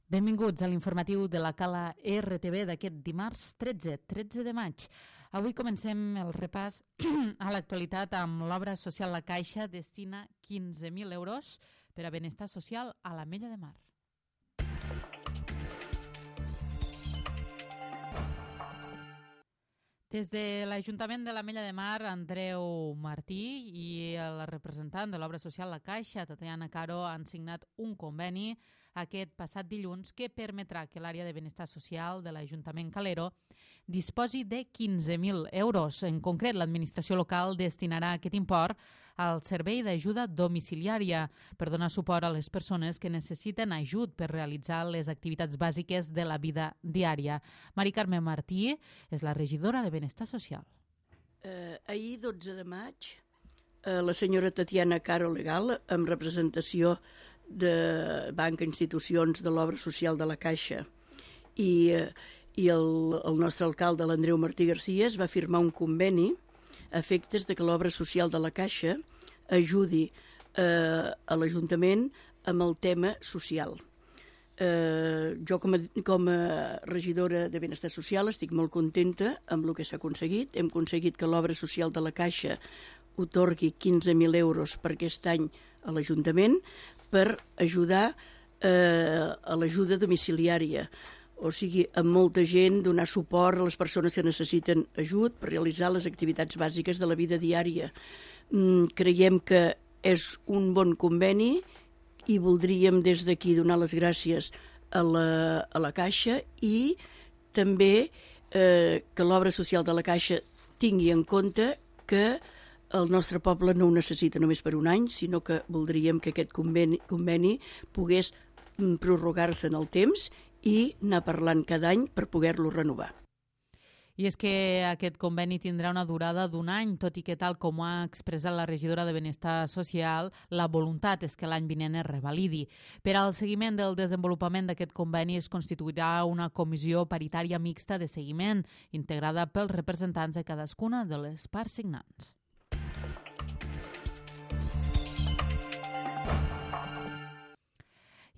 Benvinguts a l'informatiu de la Cala RTV d'aquest dimarts 13 de maig. Avui comencem el repàs a l'actualitat amb l'obra social La Caixa destina 15.000 euros per a benestar social a l'Ametlla de Mar. Des de l'Ajuntament de l'Ametlla de Mar, Andreu Martí i el representant de l'obra social La Caixa, Tatiana Caro, han signat un conveni aquest passat dilluns que permetrà que l'àrea de benestar social de l'Ajuntament Calero disposi de 15.000 euros. En concret, l'administració local destinarà aquest import al servei d'ajuda domiciliària per donar suport a les persones que necessiten ajut per realitzar les activitats bàsiques de la vida diària. Mari Carme Martí és la regidora de Benestar Social. Ahir, 12 de maig, la senyora Tatiana Caro Legal, amb representació de Banca Institucions de l'Obra Social de la Caixa i el nostre alcalde, l'Andreu Martí Garcia, es va firmar un conveni a efectes de que l'Obra Social de la Caixa ajudi a l'Ajuntament amb el tema social. Jo com a regidora de Benestar Social estic molt contenta amb el que s'ha aconseguit. Hem aconseguit que l'Obra Social de la Caixa otorgui 15.000 euros per aquest any a l'Ajuntament per ajudar a l'ajuda domiciliària, o sigui, amb molta gent, donar suport a les persones que necessiten ajut per realitzar les activitats bàsiques de la vida diària. Creiem que és un bon conveni i voldríem des d'aquí donar les gràcies a la Caixa i també que l'obra social de la Caixa tingui en compte que el nostre poble no ho necessita només per un any, sinó que voldríem que aquest conveni pogués prorrogar-se en el temps i anar parlant cada any per poder-lo renovar. I és que aquest conveni tindrà una durada d'un any, tot i que, tal com ha expressat la regidora de Benestar Social, la voluntat és que l'any vinent es revalidi. Per al seguiment del desenvolupament d'aquest conveni es constituirà una comissió paritària mixta de seguiment, integrada pels representants de cadascuna de les parts signants.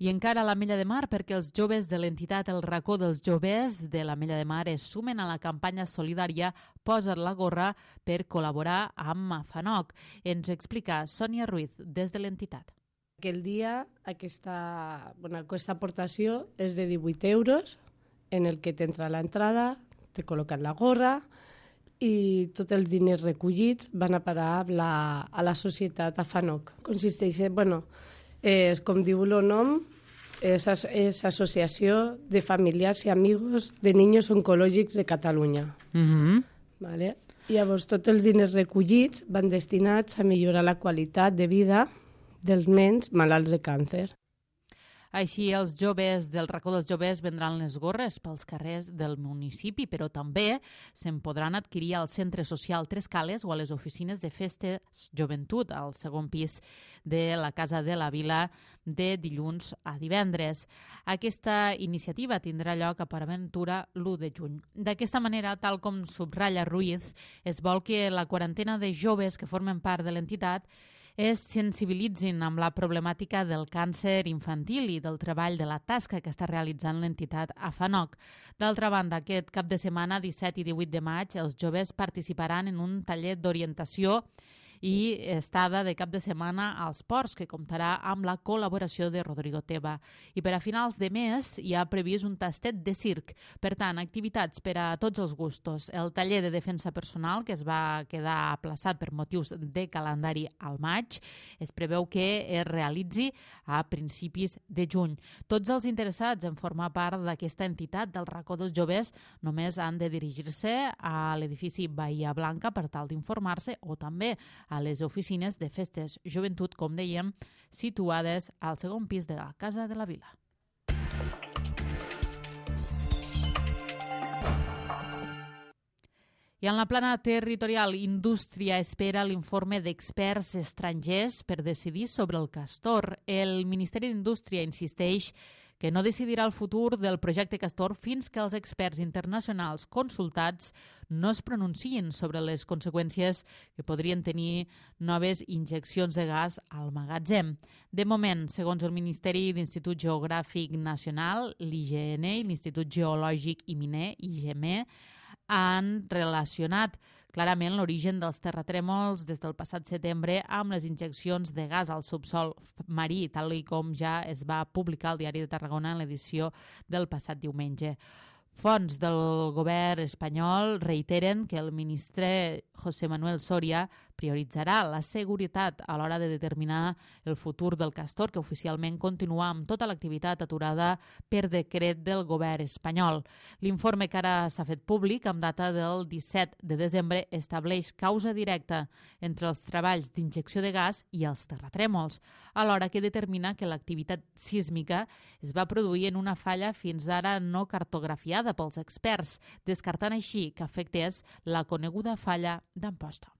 I encara a l'Ametlla de Mar, perquè els joves de l'entitat El Racó dels Joves de l'Ametlla de Mar es sumen a la campanya solidària Posa't la gorra per col·laborar amb Afanoc. Ens explica Sònia Ruiz, des de l'entitat. Aquell dia aquesta aportació és de 18 euros, en el que t'entra l'entrada, te col·loquen la gorra i tots els diners recollits van a parar a la societat Afanoc. Consisteix, com diu el nom, és Associació de Familiars i Amigos de Niños Oncològics de Catalunya. Vale? Llavors, tots els diners recollits van destinats a millorar la qualitat de vida dels nens malalts de càncer. Així, els joves del Racó dels Joves vendran les gorres pels carrers del municipi, però també se'n podran adquirir al Centre Social Tres Cales o a les oficines de Festes Joventut, al segon pis de la Casa de la Vila, de dilluns a divendres. Aquesta iniciativa tindrà lloc a Paraventura l'1 de juny. D'aquesta manera, tal com subratlla Ruiz, es vol que la quarantena de joves que formen part de l'entitat es sensibilitzin amb la problemàtica del càncer infantil i del treball de la tasca que està realitzant l'entitat Afanoc. D'altra banda, aquest cap de setmana, 17 i 18 de maig, els joves participaran en un taller d'orientació i estada de cap de setmana als ports, que comptarà amb la col·laboració de Rodrigo Teba. I per a finals de mes hi ha previst un tastet de circ. Per tant, activitats per a tots els gustos. El taller de defensa personal, que es va quedar aplaçat per motius de calendari al maig, es preveu que es realitzi a principis de juny. Tots els interessats en formar part d'aquesta entitat del Racó dels Joves només han de dirigir-se a l'edifici Bahia Blanca per tal d'informar-se, o també a les oficines de Festes Joventut, com dèiem, situades al segon pis de la Casa de la Vila. I en la plana territorial, Indústria espera l'informe d'experts estrangers per decidir sobre el castor. El Ministeri d'Indústria insisteix que no decidirà el futur del projecte Castor fins que els experts internacionals consultats no es pronunciïn sobre les conseqüències que podrien tenir noves injeccions de gas al magatzem. De moment, segons el Ministeri d'Institut Geogràfic Nacional, l'IGN i l'Institut Geològic i Miner, IGM, han relacionat clarament l'origen dels terratrèmols des del passat setembre amb les injeccions de gas al subsol marí, tal com ja es va publicar al Diari de Tarragona en l'edició del passat diumenge. Fonts del govern espanyol reiteren que el ministre José Manuel Soria prioritzarà la seguretat a l'hora de determinar el futur del castor, que oficialment continua amb tota l'activitat aturada per decret del govern espanyol. L'informe que ara s'ha fet públic, amb data del 17 de desembre, estableix causa directa entre els treballs d'injecció de gas i els terratrèmols, alhora que determina que l'activitat sísmica es va produir en una falla fins ara no cartografiada pels experts, descartant així que afectés la coneguda falla d'Amposta.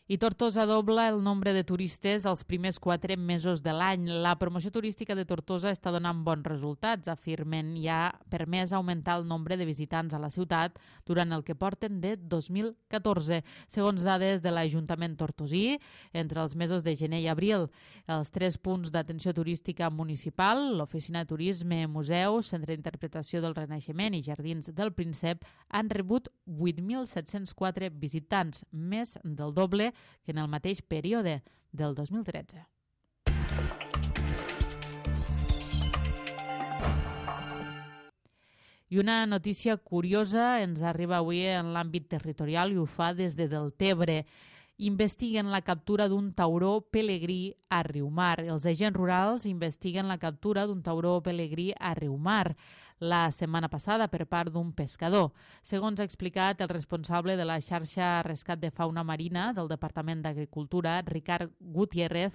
I Tortosa dobla el nombre de turistes els primers 4 mesos de l'any. La promoció turística de Tortosa està donant bons resultats, afirmen, i ha permès augmentar el nombre de visitants a la ciutat durant el que porten de 2014. Segons dades de l'Ajuntament tortosí, entre els mesos de gener i abril, els 3 punts d'atenció turística municipal, l'Oficina de Turisme, Museu, Centre d'Interpretació del Renaixement i Jardins del Príncep, han rebut 8.704 visitants, més del doble que en el mateix període del 2013. I una notícia curiosa ens arriba avui en l'àmbit territorial i ho fa des de Deltebre. Investiguen la captura d'un tauró pelegrí a Riumar. Els agents rurals investiguen la captura d'un tauró pelegrí a Riumar la setmana passada per part d'un pescador. Segons ha explicat el responsable de la xarxa Rescat de Fauna Marina del Departament d'Agricultura, Ricard Gutiérrez,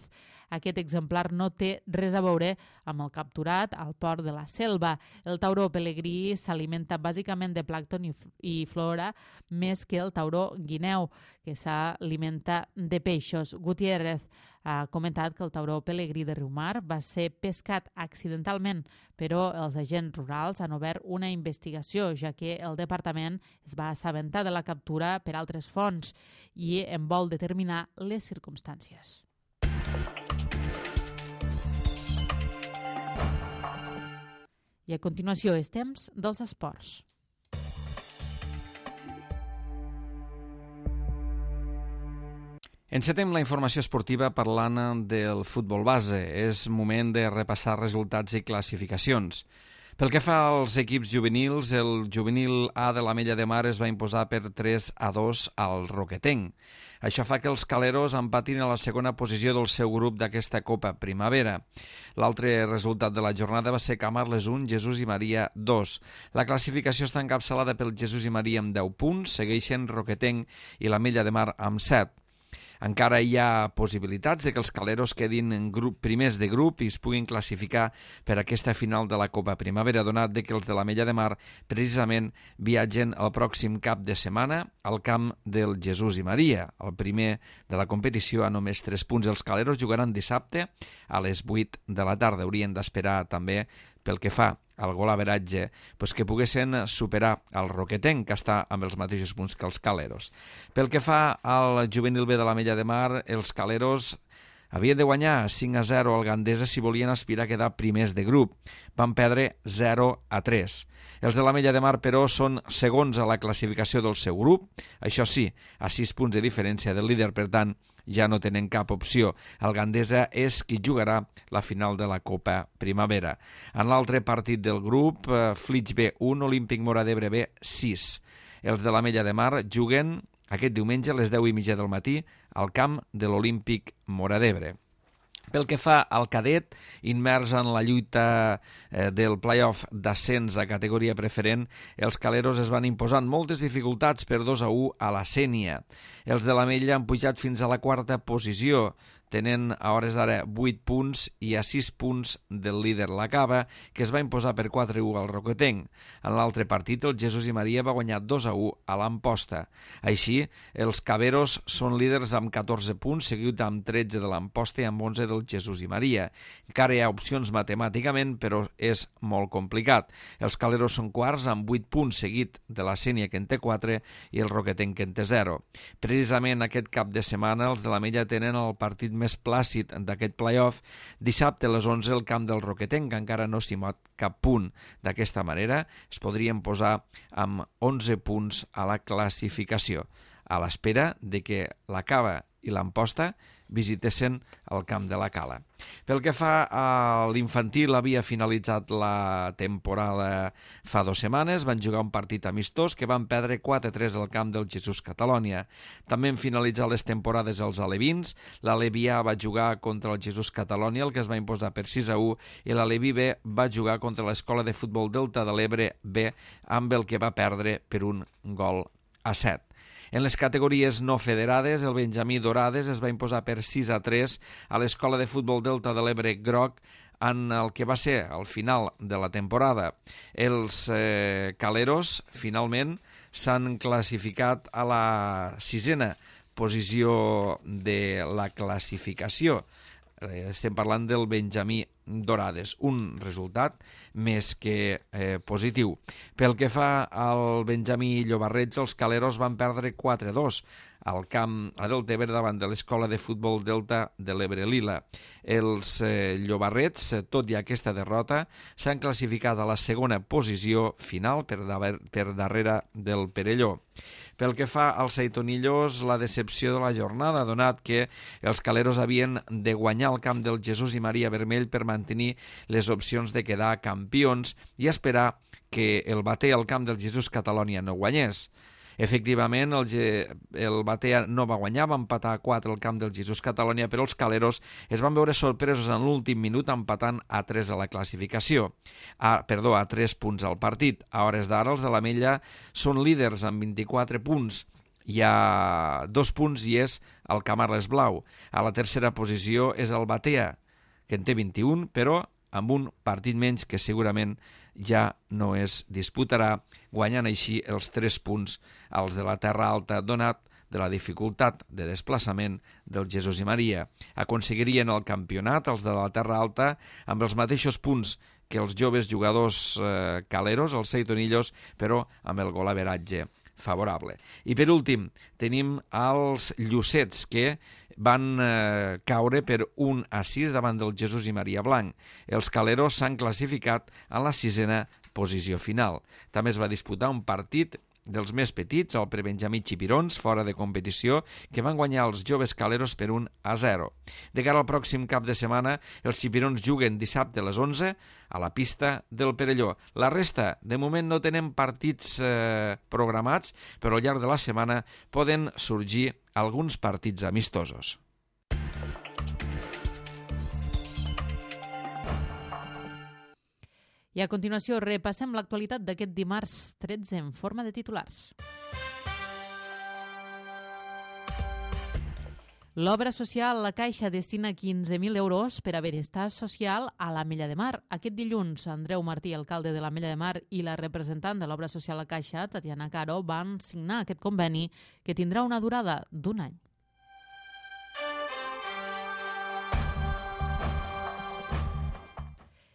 aquest exemplar no té res a veure amb el capturat al port de la Selva. El tauró pelegrí s'alimenta bàsicament de plàncton i flora més que el tauró guineu, que s'alimenta de peixos. Gutiérrez ha comentat que el tauró pelegrí de Riumar va ser pescat accidentalment, però els agents rurals han obert una investigació, ja que el departament es va assabentar de la captura per altres fonts i en vol determinar les circumstàncies. I a continuació és temps dels esports. Encetem la informació esportiva parlant del futbol base. És moment de repassar resultats i classificacions. Pel que fa als equips juvenils, el juvenil A de l'Ametlla de Mar es va imposar per 3-2 al Roquetenc. Això fa que els caleros empatin a la segona posició del seu grup d'aquesta Copa Primavera. L'altre resultat de la jornada va ser Camarles 1, Jesús i Maria 2. La classificació està encapçalada pel Jesús i Maria amb 10 punts, segueixen Roquetenc i l'Ametlla de Mar amb 7. Encara hi ha possibilitats de que els caleros quedin en primers de grup i es puguin classificar per aquesta final de la Copa Primavera, donat que els de l'Ametlla de Mar precisament viatgen el pròxim cap de setmana al camp del Jesús i Maria. El primer de la competició a només 3 punts. Els caleros jugaran dissabte a les 8 de la tarda. Haurien d'esperar també pel que fa al golaveratge, que poguessin superar el Roquetenc, que està amb els mateixos punts que els caleros. Pel que fa al juvenil B de l'Ametlla de Mar, els caleros havien de guanyar 5-0 al Gandesa si volien aspirar a quedar primers de grup. Van perdre 0-3. Els de l'Ametlla de Mar, però, són segons a la classificació del seu grup. Això sí, a 6 punts de diferència del líder, per tant, ja no tenen cap opció. El Gandesa és qui jugarà la final de la Copa Primavera. En l'altre partit del grup, Flix B 1, Olímpic Móra d'Ebre B 6. Els de l'Ametlla de Mar juguen aquest diumenge a les 10:30 del matí al camp de l'Olímpic Móra d'Ebre. Pel que fa al cadet, immers en la lluita del play-off d'ascens a categoria preferent, els caleros es van imposar amb moltes dificultats per 2-1 a la Sénia. Els de l'Ametlla han pujat fins a la 4a posició, tenen a hores d'ara 8 punts i a 6 punts del líder la Cava, que es va imposar per 4-1 al Roquetenc. En l'altre partit, el Jesús i Maria va guanyar 2-1 a l'Amposta. Així, els caveros són líders amb 14 punts, seguit amb 13 de l'Amposta i amb 11 del Jesús i Maria. Encara hi ha opcions matemàticament, però és molt complicat. Els caleros són quarts amb 8 punts, seguit de la Sénia, que en té 4, i el Roquetenc, que en té 0. Precisament aquest cap de setmana, els de l'Ametlla tenen el partit més plàcid d'aquest play-off. Dissabte a les 11 el camp del Roquetenc, que encara no s'hi mot cap punt. D'aquesta manera es podrien posar amb 11 punts a la classificació, a l'espera de que la Cava i l'Amposta visitessin el camp de la Cala. Pel que fa a l'infantil, havia finalitzat la temporada fa 2 setmanes, van jugar un partit amistós que van perdre 4-3 al camp del Jesús Catalònia. També han finalitzat les temporades els alevins, l'Aleví A va jugar contra el Jesús Catalònia, el que es va imposar per 6-1, i l'Aleví B va jugar contra l'Escola de Futbol Delta de l'Ebre B, amb el que va perdre per 1-7. En les categories no federades, el Benjamí Dorades es va imposar per 6-3 a l'Escola de Futbol Delta de l'Ebre Groc en el que va ser el final de la temporada. Els caleros, finalment, s'han classificat a la 6a posició de la classificació. Estem parlant del Benjamí Dorades, un resultat més que positiu. Pel que fa al Benjamí Llobarrets, els caleros van perdre 4-2 al camp a Deltebre davant de l'Escola de Futbol Delta de l'Ebre Lila. Els Llobarrets, tot i aquesta derrota, s'han classificat a la segona posició final per darrere del Perelló. Pel que fa als Aitonillos, la decepció de la jornada, donat que els caleros havien de guanyar el camp del Jesús i Maria Vermell per mantenir les opcions de quedar campions i esperar que el Batea al camp del Jesús Catalònia no guanyés. Efectivament, el Batea no va guanyar, va empatar a 4 al camp del Jesús Catalònia, però els caleros es van veure sorpresos en l'últim minut empatant a 3 a la classificació. A 3 punts al partit. A hores d'ara, els de l'Ametlla són líders amb 24 punts. Hi ha 2 punts i és el Camarles Blau. A la tercera posició és el Batea, que en té 21, però amb un partit menys que segurament ja no es disputarà, guanyant així els 3 punts als de la Terra Alta, donat de la dificultat de desplaçament del Jesús i Maria. Aconseguirien el campionat els de la Terra Alta amb els mateixos punts que els joves jugadors caleros, els Seitonillos, però amb el golaveratge favorable. I per últim, tenim els Llucets, que van caure per 1-6 davant del Jesús i Maria Blanc. Els caleros s'han classificat a la 6a posició final. També es va disputar un partit dels més petits, el prebenjamí Xipirons, fora de competició, que van guanyar els joves caleros per 1-0. De cara al pròxim cap de setmana, els Xipirons juguen dissabte a les 11 a la pista del Perelló. La resta, de moment, no tenen partits programats, però al llarg de la setmana poden sorgir alguns partits amistosos. I a continuació repassem l'actualitat d'aquest dimarts 13 en forma de titulars. L'obra social La Caixa destina 15.000 euros per a benestar social a l'Ametlla de Mar. Aquest dilluns, Andreu Martí, alcalde de l'Ametlla de Mar, i la representant de l'obra social La Caixa, Tatiana Caro, van signar aquest conveni que tindrà una durada d'1 any.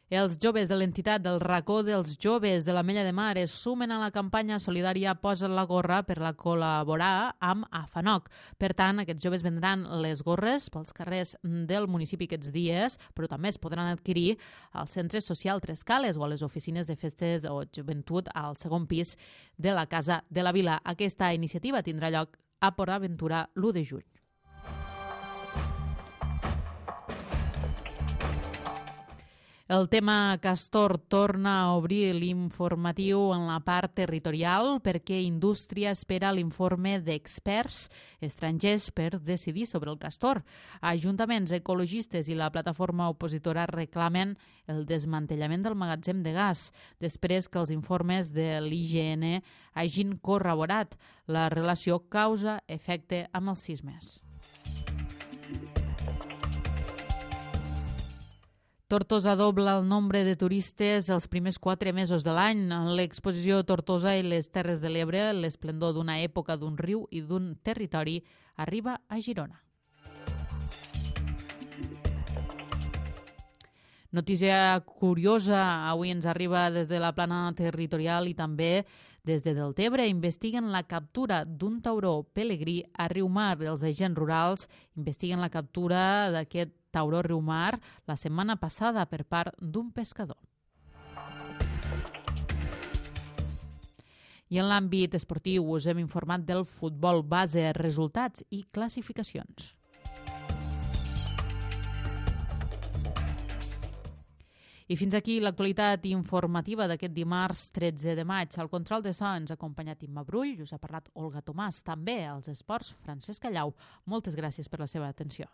Els joves de l'entitat del Racó dels Joves de l'Ametlla de Mar es sumen a la campanya solidària Posa't la gorra per la col·laborar amb AFANOC. Per tant, aquests joves vendran les gorres pels carrers del municipi aquests dies, però també es podran adquirir al Centre Social Tres Cales o a les oficines de festes o joventut al segon pis de la Casa de la Vila. Aquesta iniciativa tindrà lloc a Port Aventura l'1 de juny. El tema Castor torna a obrir l'informatiu en la part territorial perquè Indústria espera l'informe d'experts estrangers per decidir sobre el castor. Ajuntaments ecologistes i la plataforma opositora reclamen el desmantellament del magatzem de gas després que els informes de l'IGN hagin corroborat la relació causa-efecte amb els sismes. Tortosa dobla el nombre de turistes els primers 4 mesos de l'any. L'exposició Tortosa i les Terres de l'Ebre, l'esplendor d'una època, d'un riu i d'un territori, arriba a Girona. Notícia curiosa, avui ens arriba des de la plana territorial i també des de Deltebre. Investiguen la captura d'un tauró pelegrí a Riumar. Els agents rurals investiguen la captura d'aquest tauró Riumar la setmana passada per part d'un pescador. I en l'àmbit esportiu us hem informat del futbol base, resultats i classificacions. I fins aquí l'actualitat informativa d'aquest dimarts 13 de maig. Al control de so ens ha acompanyat Imma Brull i us ha parlat Olga Tomàs. També als esports, Francesc Callau. Moltes gràcies per la seva atenció.